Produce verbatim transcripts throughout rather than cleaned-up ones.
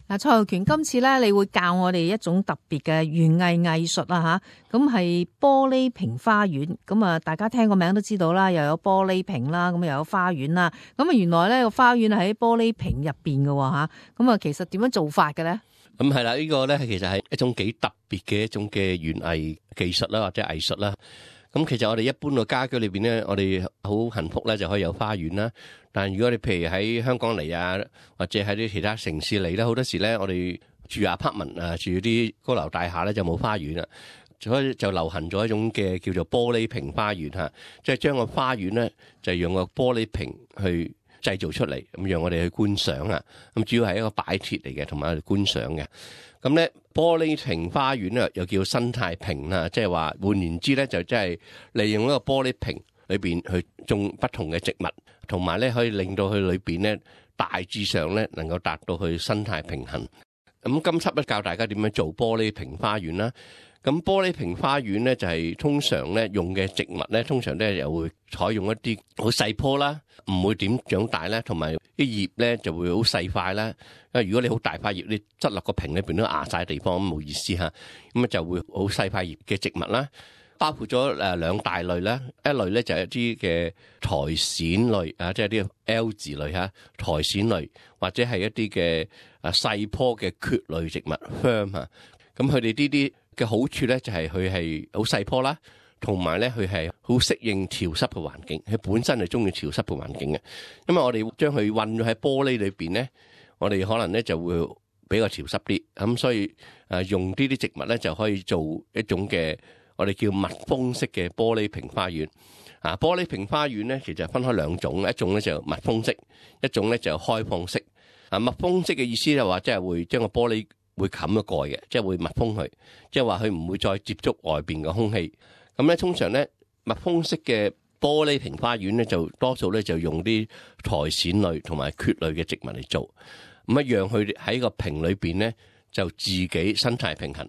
嗱，蔡浩權，今次咧你會教我哋一種特別嘅園藝藝術啊吓，咁係玻璃瓶花園。咁啊，大家聽個名都知道啦，又有玻璃瓶啦，咁又有花園啦。咁啊，原來咧個花園係喺玻璃瓶入邊嘅吓。咁啊，其實點樣做法嘅咧？咁係啦，呢個咧其實係一種幾特別嘅一種嘅園藝技術啦，或者藝術啦。咁其實我哋一般嘅家居裏邊咧，我哋好幸福咧，就可以有花園啦。但如果你譬如喺香港嚟啊，或者喺啲其他城市嚟咧，好多時咧我哋住 apartment 啊，住啲高樓大廈咧就冇花園啦，所以就流行咗一種嘅叫做玻璃瓶花園嚇，即係將個花園咧就用個玻璃瓶去製造出嚟，咁讓我哋去觀賞啊。咁主要係一個擺設嚟嘅，同埋觀賞嘅。咁咧玻璃瓶花園咧又叫生態瓶啦，即係話換言之咧就即係利用一個玻璃瓶裏邊去種不同嘅植物，同埋咧可以令到佢裏邊咧大致上咧能夠達到去生態平衡。咁今輯咧教大家點樣做玻璃瓶花園啦。咁玻璃瓶花園咧就係通常咧用嘅植物咧，通常咧又會採用一啲好細棵啦，唔會點長大啦，同埋啲葉咧就會好細塊啦。因為如果你好大塊葉，你執落個瓶裏邊都壓晒地方，咁冇意思嚇。咁啊就會好細塊葉嘅植物啦，包括咗誒兩大類啦。一類咧就係一啲嘅苔蘚類啊，即係啲 L 字類嚇，苔蘚類或者係一啲嘅啊細棵嘅蕨類植物 Fern 嚇。咁佢哋呢啲嘅好處咧就係佢係好細棵啦，同埋咧佢係好適應潮濕嘅環境，佢本身係中意潮濕嘅環境嘅。因為我哋將佢混咗喺玻璃裏邊咧，我哋可能咧就會比較潮濕啲，咁所以誒用呢啲植物咧就可以做一種嘅我哋叫密封式嘅玻璃瓶花園。啊，玻璃瓶花園咧其實分開兩種，一種咧就密封式，一種咧就開放式。啊，密封式嘅意思就話即係會將個玻璃會冚咗蓋嘅，即係會密封佢，即係話佢唔會再接觸外邊嘅空氣。咁咧通常咧密封式嘅玻璃瓶花園咧就多數咧就用啲苔蘚類同埋蕨類嘅植物嚟做，咁一樣佢喺個瓶裏邊咧就自己生態平衡。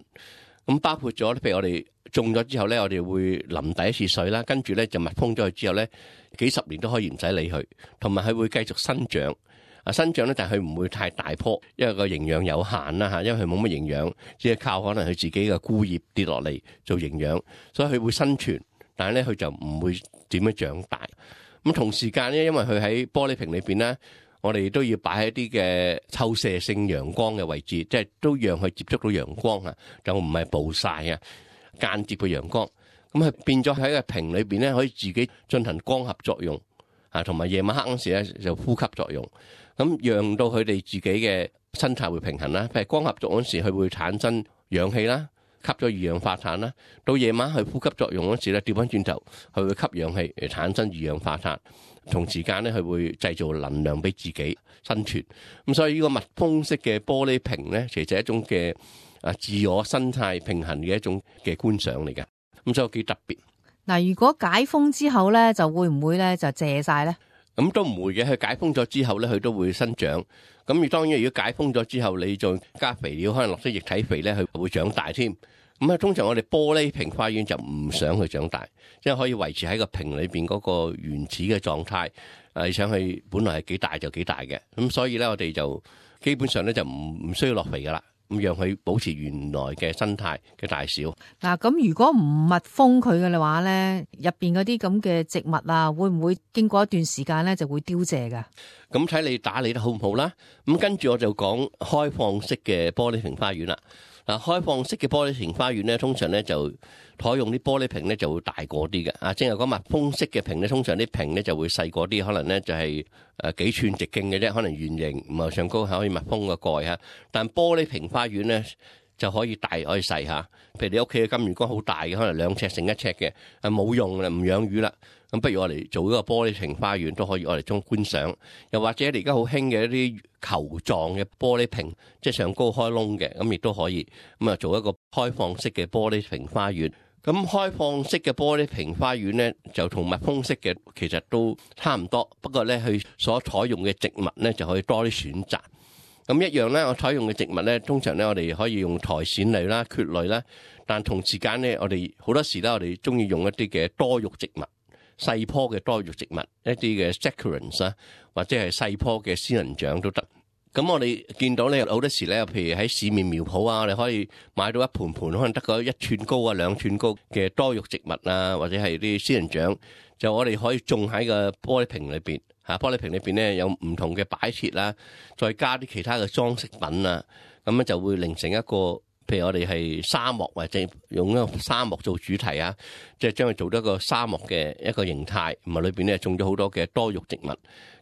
咁包括咗譬如我哋種咗之後咧，我哋會淋第一次水啦，跟住咧就密封咗佢之後咧，幾十年都可以唔使理佢，同埋佢會繼續生長。啊，生長咧，但係佢唔會太大棵，因為個營養有限啦嚇，因為佢冇乜營養，只係靠可能佢自己嘅枯葉跌落嚟做營養，所以佢會生存，但係咧佢就唔會點樣長大。咁同時間咧，因為佢喺玻璃瓶裏邊咧，我哋都要擺喺一啲嘅透射性陽光嘅位置，即係都讓佢接觸到陽光啊，就唔係暴曬啊，間接嘅陽光。咁佢變咗喺個瓶裏邊咧，可以自己進行光合作用啊，同埋夜晚黑嗰時咧就呼吸作用。咁讓到佢哋自己嘅生態會平衡啦。譬如光合作用嗰時，佢會產生氧氣啦，吸咗二氧化碳啦。到夜晚佢呼吸作用嗰時咧，調翻轉頭，佢會吸氧氣嚟產生二氧化碳。同時間咧，佢會製造能量俾自己生存。咁所以呢個密封式嘅玻璃瓶咧，其實係一種嘅啊自我生態平衡嘅一種嘅觀賞嚟嘅。咁所以幾特別。嗱，如果解封之後咧，就會唔會咧就謝晒咧？咁都唔會嘅，佢解封咗之後咧，佢都會生長。咁而當然，如果解封咗之後，你再加肥料，可能落啲液體肥咧，佢會長大添。咁啊，通常我哋玻璃瓶花園就唔想佢長大，即係可以維持喺個瓶裏邊嗰個原始嘅狀態。誒，你想佢本來係幾大就幾大嘅。咁所以咧，我哋就基本上咧就唔唔需要落肥噶啦。咁讓佢保持原來嘅生態嘅大小。嗱，咁如果唔密封佢嘅話咧，入邊嗰啲咁嘅植物啊，會唔會經過一段時間咧就會凋謝噶？咁睇你打理得好唔好啦。咁跟住我就講開放式嘅玻璃瓶花園啦。嗱，開放式嘅玻璃瓶花園咧，通常咧就採用啲玻璃瓶咧就會大個啲嘅。啊，正係講密封式嘅瓶咧，通常啲瓶咧就會細個啲，可能咧就係誒幾寸直徑嘅啫，可能圓形，唔係上高係可以密封個蓋嚇。但玻璃瓶花園咧就可以大可以細嚇。譬如你屋企嘅金魚缸好大嘅，可能兩尺乘一尺嘅，啊冇用啦，唔養魚啦。咁不如我嚟做一個玻璃瓶花園都可以，我嚟中觀賞。又或者你而家好興嘅一啲球狀嘅玻璃瓶，即係上高開窿嘅，咁亦都可以咁啊，做一個開放式嘅玻璃瓶花園。咁開放式嘅玻璃瓶花園咧，就同密封式嘅其實都差唔多，不過咧佢所採用嘅植物咧就可以多啲選擇。咁一樣咧，我採用嘅植物咧，通常咧我哋可以用苔蘚類啦、蕨類啦，但同時間咧，我哋好多時咧，我哋中意用一啲嘅多肉植物。細棵嘅多肉植物，一啲嘅 succulents 啊，或者係細棵嘅仙人掌都得。咁我哋見到咧，好多時咧，譬如喺市面苗圃啊，我哋可以買到一盆盆可能得個一寸高啊、兩寸高嘅多肉植物啊，或者係啲仙人掌，就我哋可以種喺個玻璃瓶裏邊嚇。玻璃瓶裏邊咧有唔同嘅擺設啦，再加啲其他嘅裝飾品啊，咁咧就會形成一個，譬如我哋係沙漠或者用一個沙漠做主題啊，即係將佢做咗一個沙漠嘅一個形態，咁啊裏邊咧種咗好多嘅多肉植物。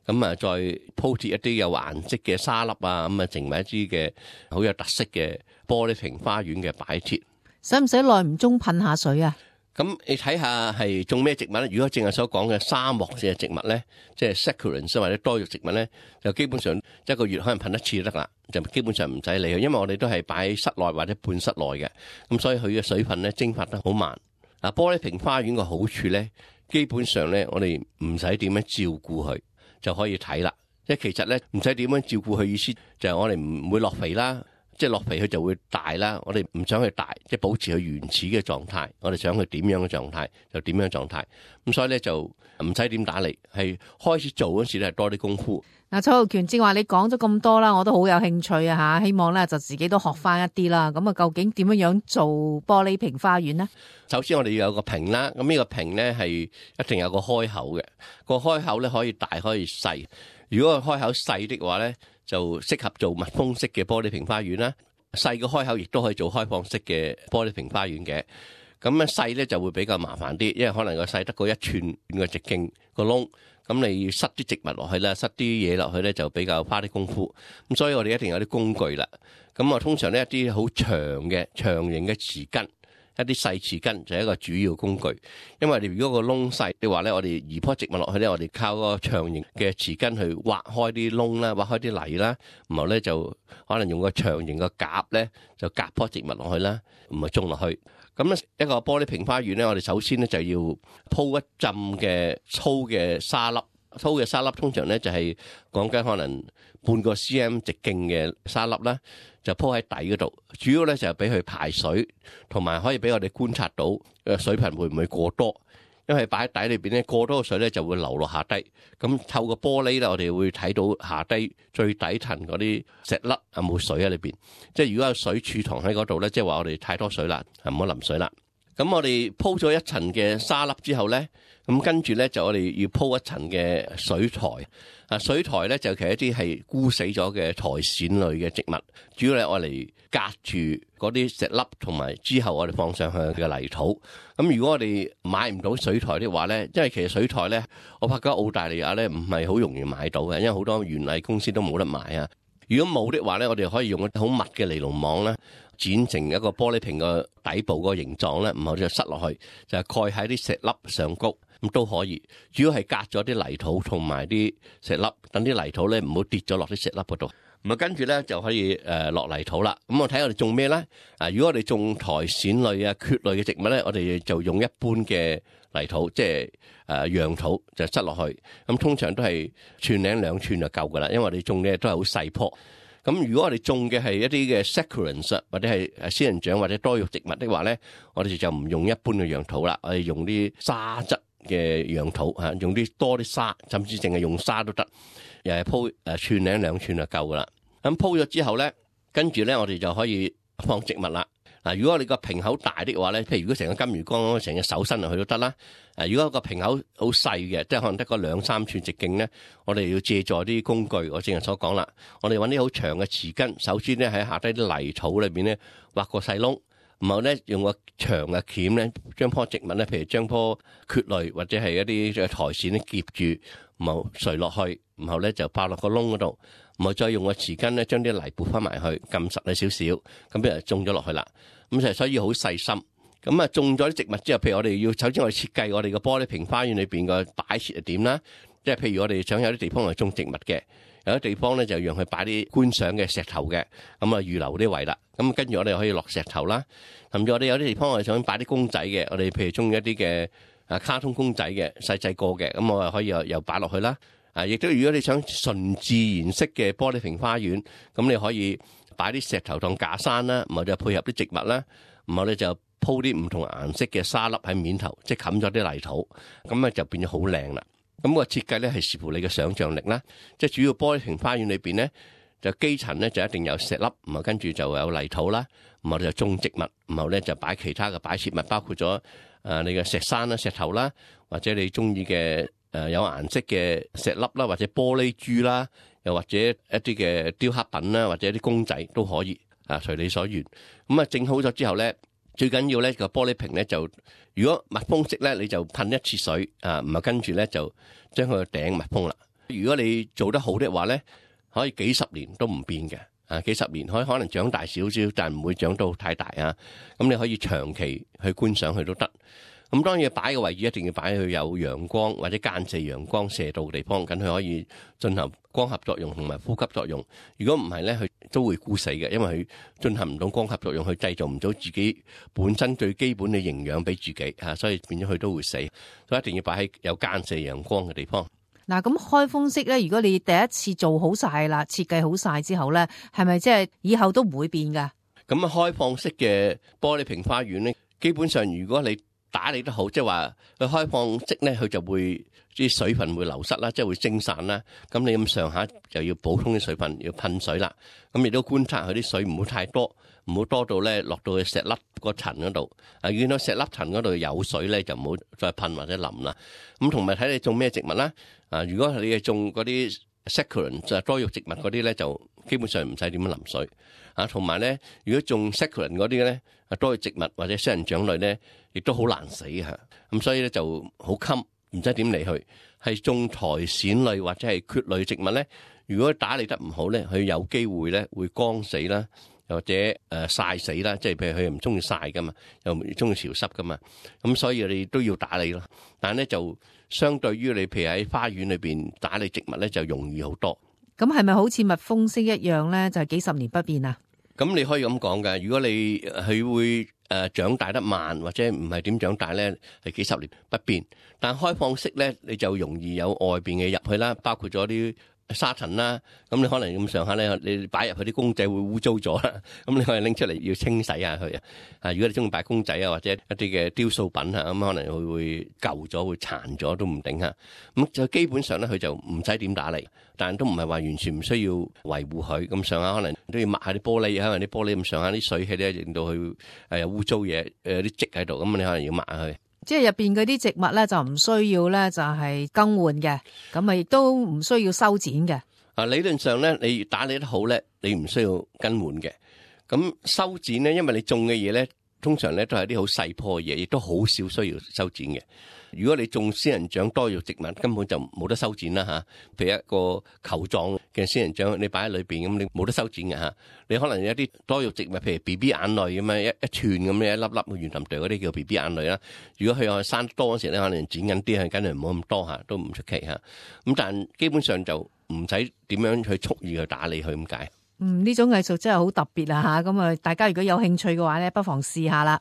咁啊，再鋪設一啲有顏色嘅沙粒啊，咁啊，成為一啲嘅好有特色嘅玻璃瓶花園嘅擺設。使唔使耐唔中噴下水啊？咁你睇下係種咩植物咧？如果正係所講嘅沙漠嘅植物咧，即係 succulents 或者多肉植物咧，就基本上一個月可能噴一次就得啦，就基本上唔使理佢，因為我哋都係擺喺室內或者半室內嘅，咁所以佢嘅水分咧蒸發得好慢。嗱，玻璃瓶花園嘅好處咧，基本上咧我哋唔使點樣照顧佢就可以睇啦，即係其實咧唔使點樣照顧佢，意思就係我哋唔會落肥啦，即係落肥佢就會大啦。我哋唔想佢大，即係保持佢原始嘅狀態。我哋想佢點樣嘅狀態就點樣狀態。咁所以咧就唔使點打理，係開始做嗰時咧係多啲功夫。嗱，蔡浩權正話你講咗咁多啦，我都好有興趣啊吓，希望咧就自己都學翻一啲啦。咁啊，究竟點樣樣做玻璃瓶花園呢？首先我哋要有個瓶啦，咁呢個瓶咧係一定有個開口嘅，個開口咧可以大可以細。如果個開口細的話咧，就適合做密封式嘅玻璃瓶花園啦。細個開口亦都可以做開放式嘅玻璃瓶花園嘅。咁咧細咧就會比較麻煩啲，因為可能個細得個一寸嘅直徑個窿。咁你要塞啲植物落去啦，塞啲嘢落去咧就比較花啲功夫。咁所以我哋一定有啲工具啦。咁啊，通常呢，一啲好長嘅長形嘅匙羹，一啲細匙羹就係一個主要工具。因為你如果個窿細嘅話咧，我哋移棵植物落去咧，我哋靠個長形嘅匙羹去挖開啲窿啦，挖開啲泥啦，然後咧就可能用個長形嘅夾咧就夾棵植物落去啦，唔係種落去。咁咧一個玻璃瓶花園咧，我哋首先咧就要鋪一浸嘅粗嘅沙粒，粗嘅沙粒通常咧就係講緊可能半個 cm 直徑嘅沙粒啦，就鋪喺底嗰度。主要咧就係俾佢排水，同埋可以俾我哋觀察到誒水頻會唔會過多。因為擺喺底裏邊咧，過多嘅水咧就會流落下低。咁透過玻璃咧，我哋會睇到下低最底層嗰啲石粒有冇水喺裏邊。即係如果有水儲藏喺嗰度咧，即係話我哋太多水啦，唔好淋水啦。咁我哋鋪咗一層嘅沙粒之後咧，咁跟住咧就我哋要鋪一層嘅水苔。啊，水苔咧就其實一啲係枯死咗嘅苔蘚類嘅植物，主要係我嚟隔住嗰啲石粒，同埋之後我哋放上去嘅泥土。咁如果我哋買唔到水苔的話咧，因為其實水苔咧，我發覺澳大利亞咧唔係好容易買到嘅，因為好多園藝公司都冇得買啊。如果冇的話咧，我哋可以用一好密嘅尼龍網咧，剪成一個玻璃瓶嘅底部個形狀咧，然後就塞落去，就係蓋喺啲石粒上高。咁都可以，主要係隔咗啲泥土同埋啲石粒，等啲泥土咧唔好跌咗落啲石粒嗰度。咁啊，跟住咧就可以誒落泥土啦。咁我睇我哋種咩咧？啊，如果我哋種苔蘚類啊、蕨類嘅植物咧，我哋就用一般嘅泥土，即係誒樣土就塞落去。咁通常都係寸零兩寸就夠噶啦，因為我哋種嘅都係好細棵。咁如果我哋種嘅係一啲嘅 succulents 或者係誒仙人掌或者多肉植物的話咧，我哋就唔用一般嘅樣土啦，我哋用啲沙質嘅樣土嚇，用啲多啲沙，甚至淨係用沙都得，又係鋪誒寸零兩寸就夠噶啦。咁鋪咗之後咧，跟住咧我哋就可以放植物啦。嗱，如果我哋個瓶口大啲嘅話咧，譬如如果成個金魚缸成隻手伸落去都得啦。誒，如果個瓶口好細嘅，即係可能得個兩三寸直徑咧，我哋要借助啲工具，我正係所講啦。我哋揾啲好長嘅匙羹，首先咧喺下低啲泥土裏邊咧挖個細窿。然後咧用個長嘅鉗咧，將棵植物咧，譬如將棵蕨類或者係一啲嘅苔蘚咧夾住，然後垂落去，然後咧就擺落個窿嗰度，然後再用個匙羹咧將啲泥撥翻埋去，撳實佢少少，咁譬如種咗落去啦。咁就所以好細心。咁啊種咗啲植物之後，譬如我哋要首先我哋設計我哋個玻璃瓶花園裏邊個擺設係點啦。即係譬如我哋想有啲地方係種植物嘅。有啲地方咧就讓佢擺啲觀賞嘅石頭嘅，咁啊預留啲位啦。咁跟住我哋可以落石頭啦。甚至我哋有啲地方我哋想擺啲公仔嘅，我哋譬如中意一啲嘅啊卡通公仔嘅細細個嘅，咁我啊可以又又擺落去啦。啊，亦都如果你想純自然式嘅玻璃瓶花園，咁你可以擺啲石頭當架山啦，然後就配合啲植物啦，然後咧就鋪啲唔同顏色嘅沙粒喺面頭，即係冚咗啲泥土，咁啊就變咗好靚啦。咁個設計咧係視乎你嘅想像力啦，即係主要玻璃瓶花園裏邊咧，就基層咧就一定有石粒，然後跟住就有泥土啦，然後就種植物，然後咧就擺其他嘅擺設物，包括咗誒你嘅石山啦、石頭啦，或者你中意嘅誒有顏色嘅石粒啦，或者玻璃珠啦，又或者一啲嘅雕刻品啦，或者啲公仔都可以啊，隨你所願。咁啊整好咗之後咧，最緊要咧個玻璃瓶咧就，如果密封式咧你就噴一次水啊，然後跟住咧就將佢個頂密封啦。如果你做得好的話咧，可以幾十年都唔變嘅，啊幾十年可以可能長大少少，但唔會長到太大啊。咁你可以長期去觀賞佢都得。咁當然擺嘅位置一定要擺去有陽光或者間射陽光射到嘅地方，咁佢可以進行光合作用同埋呼吸作用。如果唔係咧，佢都會枯死嘅，因為佢進行唔到光合作用，佢製造唔到自己本身最基本嘅營養俾自己嚇，所以變咗佢都會死。所以一定要擺喺有間射陽光嘅地方。嗱，咁開封式咧，如果你第一次做好晒啦，設計好晒之後咧，係咪即係以後都唔會變噶？咁啊，開放式嘅玻璃瓶花園咧，基本上如果你打理得好，即係話佢開放式咧，佢就會啲水分會流失啦，即係會蒸散啦。咁你咁上下就要補充啲水分，要噴水啦。咁亦都觀察佢啲水唔好太多，唔好多到咧落到去石粒個層嗰度。啊，見到石粒層嗰度有水咧，就唔好再噴或者淋啦。咁同埋睇你種咩植物啦。啊，如果你係種嗰啲 succulent 就係多肉植物嗰啲咧，就基本上唔使點樣淋水。啊，同埋咧，如果種 succulent 嗰啲咧，啊多肉植物或者仙人掌類咧，亦都好難死嚇。咁所以咧就好襟，唔使點理佢。係種苔蘚類或者係蕨類植物咧，如果打理得唔好咧，佢有機會咧會乾死啦，又或者誒曬死啦。即係譬如佢唔中意曬噶嘛，又唔中意潮濕噶嘛。咁所以你都要打理咯。但係咧就相對於你譬如喺花園裏邊打理植物咧，就容易好多。咁係咪好似蜜蜂式一樣咧？就係幾十年不變啊？咁你可以咁講㗎，如果你佢會誒長大得慢或者唔係點長大咧，係幾十年不變。但開放式咧，你就容易有外邊嘅入去啦，包括咗啲沙塵啦。咁你可能咁上下咧，你擺入去啲公仔會污糟咗啦。咁你可以拎出嚟要清洗下佢啊。啊，如果你中意擺公仔啊，或者一啲嘅雕塑品啊，咁可能佢會舊咗、會殘咗都唔定嚇。咁就基本上咧，佢就唔使點打理。但都唔係話完全唔需要維護佢，咁上下可能都要抹下啲玻璃，可能啲玻璃咁上下啲水氣咧，令到佢誒有污糟嘢，誒有啲積喺度，咁你可能要抹下佢。即係入邊嗰啲植物咧，就唔需要咧，就係更換嘅，咁啊亦都唔需要修剪嘅。啊，理論上咧，你打理得好咧，你唔需要更換嘅。咁修剪咧，因為你種嘅嘢咧，通常咧都係啲好細棵嘅嘢，亦都好少需要修剪嘅。如果你種仙人掌多肉植物，根本就冇得修剪啦嚇。譬如一個球狀嘅仙人掌，你擺喺裏邊咁，你冇得修剪嘅嚇。你可能有啲多肉植物，譬如 B B 眼淚咁樣一一串咁樣一粒粒圓凼哚嗰啲叫 B B 眼淚啦。如果佢又生得多嗰時咧，可能剪緊啲，係梗係唔好咁多嚇，都唔出奇嚇。咁但基本上就唔使點樣去蓄意去打理佢咁解。嗯，呢種藝術真係好特別啊嚇！咁啊，大家如果有興趣嘅話咧，不妨試下啦。